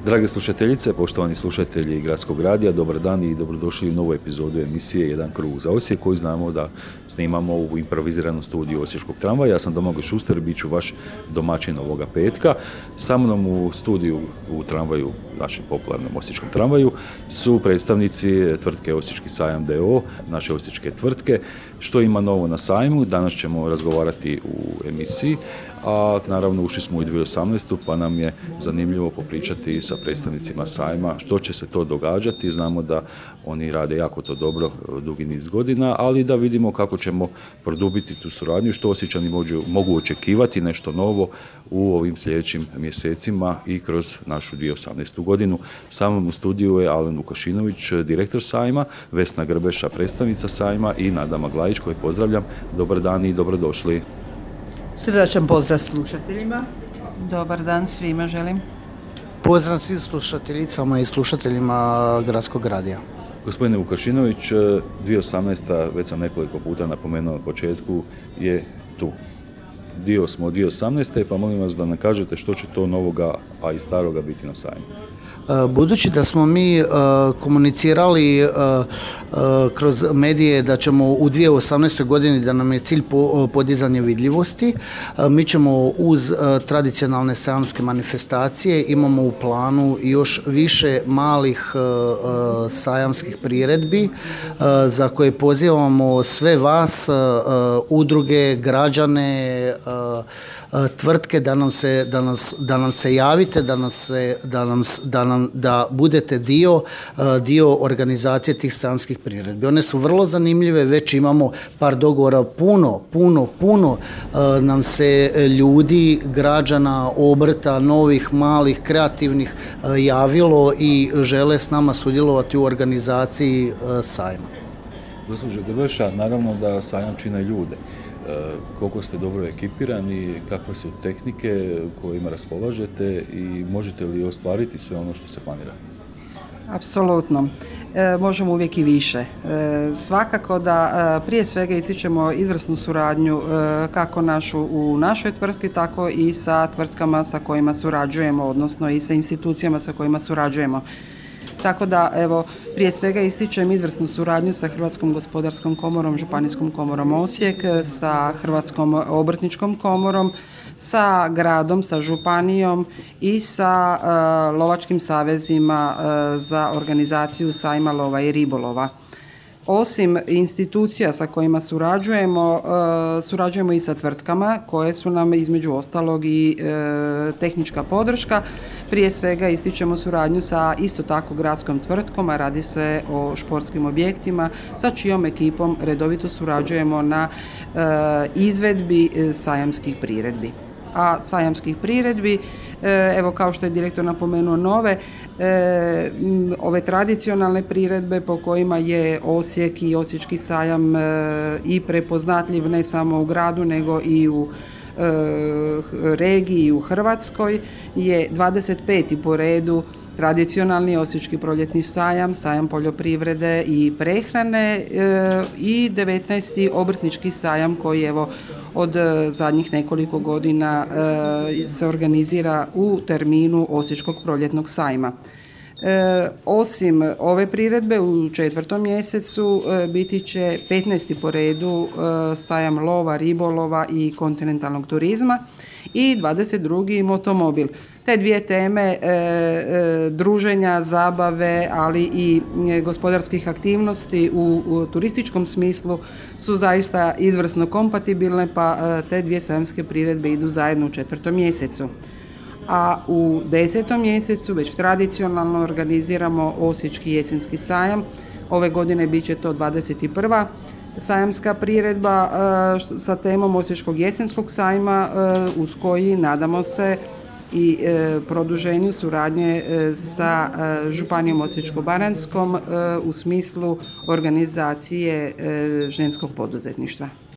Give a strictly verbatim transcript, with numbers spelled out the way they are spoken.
Drage slušateljice, poštovani slušatelji Gradskog radija, dobar dan i dobrodošli u novu epizodu emisije Jedan krug za Osijek, koju znamo da snimamo u improviziranom studiju Osječkog tramvaja. Ja sam Domagoj Šuster, bit ću vaš domaćin ovoga petka. Sa mnom u studiju u tramvaju, našem popularnom osječkom tramvaju, su predstavnici tvrtke Osječki sajam d o o, naše osječke tvrtke. Što ima novo na sajmu? Danas ćemo razgovarati u emisiji, a naravno ušli smo u dvije tisuće osamnaestu pa nam je zanimljivo popričati sa predstavnicima sajma što će se to događati. Znamo da oni rade jako to dobro dugi niz godina, ali da vidimo kako ćemo produbiti tu suradnju, što Osječani mogu, mogu očekivati nešto novo u ovim sljedećim mjesecima i kroz našu dvije tisuće osamnaestu godinu. Sa mnom u studiju je Alen Vukašinović, direktor sajma, Vesna Grbeša, predstavnica sajma i Nada Maglajić, koje pozdravljam. Dobar dan i dobrodošli. Srdačan pozdrav slušateljima. Dobar dan svima želim. Pozdrav svim slušateljicama i slušateljima Gradskog radija. Gospodine Vukašinović, dvije tisuće osamnaesta, već sam nekoliko puta napomenuo na početku, je tu. Dio smo od dvije tisuće osamnaeste, pa molim vas da nam kažete što će to novoga, a i staroga biti na sajmu. Budući da smo mi uh, komunicirali uh, uh, kroz medije da ćemo u dvije tisuće osamnaestoj godini, da nam je cilj po, podizanje vidljivosti, uh, mi ćemo uz uh, tradicionalne sajamske manifestacije imamo u planu još više malih uh, uh, sajamskih priredbi uh, za koje pozivamo sve vas, uh, uh, udruge, građane, uh, uh, tvrtke da nam se, da nas, da nam se javite, da nas se, da nam, da nam da budete dio, dio organizacije tih sajamskih priredbi. One su vrlo zanimljive, već imamo par dogovora, puno, puno, puno nam se ljudi, građana, obrta, novih, malih, kreativnih javilo i žele s nama sudjelovati u organizaciji sajma. Gospođo Grbeša, naravno da sajam čine ljude. Koliko ste dobro ekipirani, kakve su tehnike kojima raspolažete i možete li ostvariti sve ono što se planira? Apsolutno. E, možemo uvijek i više. E, svakako da e, prije svega ističemo izvrsnu suradnju e, kako našu u našoj tvrtki, tako i sa tvrtkama sa kojima surađujemo, odnosno i sa institucijama sa kojima surađujemo. Tako da, evo, prije svega ističem izvrsnu suradnju sa Hrvatskom gospodarskom komorom, Županijskom komorom Osijek, sa Hrvatskom obrtničkom komorom, sa gradom, sa županijom i sa uh, lovačkim savezima uh, za organizaciju sajma lova i ribolova. Osim institucija sa kojima surađujemo, uh, surađujemo i sa tvrtkama koje su nam između ostalog i uh, tehnička podrška. Prije svega ističemo suradnju sa isto tako gradskom tvrtkom, a radi se o športskim objektima, sa čijom ekipom redovito surađujemo na uh, izvedbi sajamskih priredbi. A sajamskih priredbi, evo kao što je direktor napomenuo nove, ove tradicionalne priredbe po kojima je Osijek i Osječki sajam i prepoznatljiv ne samo u gradu nego i u regiji u Hrvatskoj, je dvadeset peti po redu tradicionalni Osječki proljetni sajam, sajam poljoprivrede i prehrane i devetnaesti obrtnički sajam koji evo od zadnjih nekoliko godina se organizira u terminu Osječkog proljetnog sajma. E, osim ove priredbe u četvrtom mjesecu e, biti će petnaesti po redu e, sajam lova, ribolova i kontinentalnog turizma i dvadeset drugi motomobil. Te dvije teme e, e, druženja, zabave, ali i e, gospodarskih aktivnosti u, u turističkom smislu su zaista izvrsno kompatibilne, pa e, te dvije sajamske priredbe idu zajedno u četvrtom mjesecu. A u desetom mjesecu već tradicionalno organiziramo Osječki jesenski sajam. Ove godine bit će to dvadeset prva sajamska priredba e, sa temom Osječkog jesenskog sajma e, uz koji nadamo se i e, produženju suradnje e, sa e, Županijom Osječko-baranjskom e, u smislu organizacije e, ženskog poduzetništva.